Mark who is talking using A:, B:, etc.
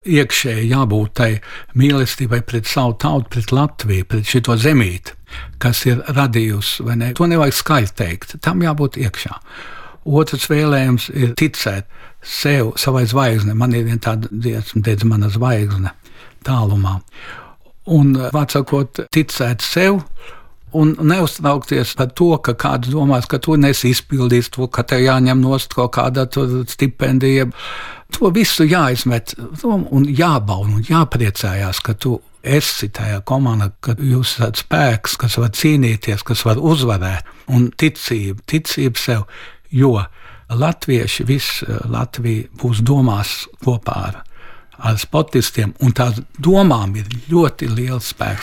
A: iekšēji jābūt tai mīlestībai pret savu tautu, pret Latviju, pret šito zemīti, kas ir radījusi, vai ne? To nevajag skaļi teikt, tam jābūt iekšā. Otrs vēlējums ir ticēt sev, savai zvaigznei. Man ir viena tāda dziesma, teica, mana zvaigzne tālumā. Un, vārdsakot, ticēt sev un neuztraukties par to, ka kāds domās, ka tu nesi izpildījis to, ka tev jāņem nost kaut kāda stipendija. To visu jāizmet un jābauda un jāpriecājās, ka tu esi tajā komandā, ka jūs esat spēks, kas var cīnīties, kas var uzvarēt, un ticība sev, jo latvieši, viss Latvija būs domās kopā ar sportistiem, un tās domām ir ļoti liels spēks.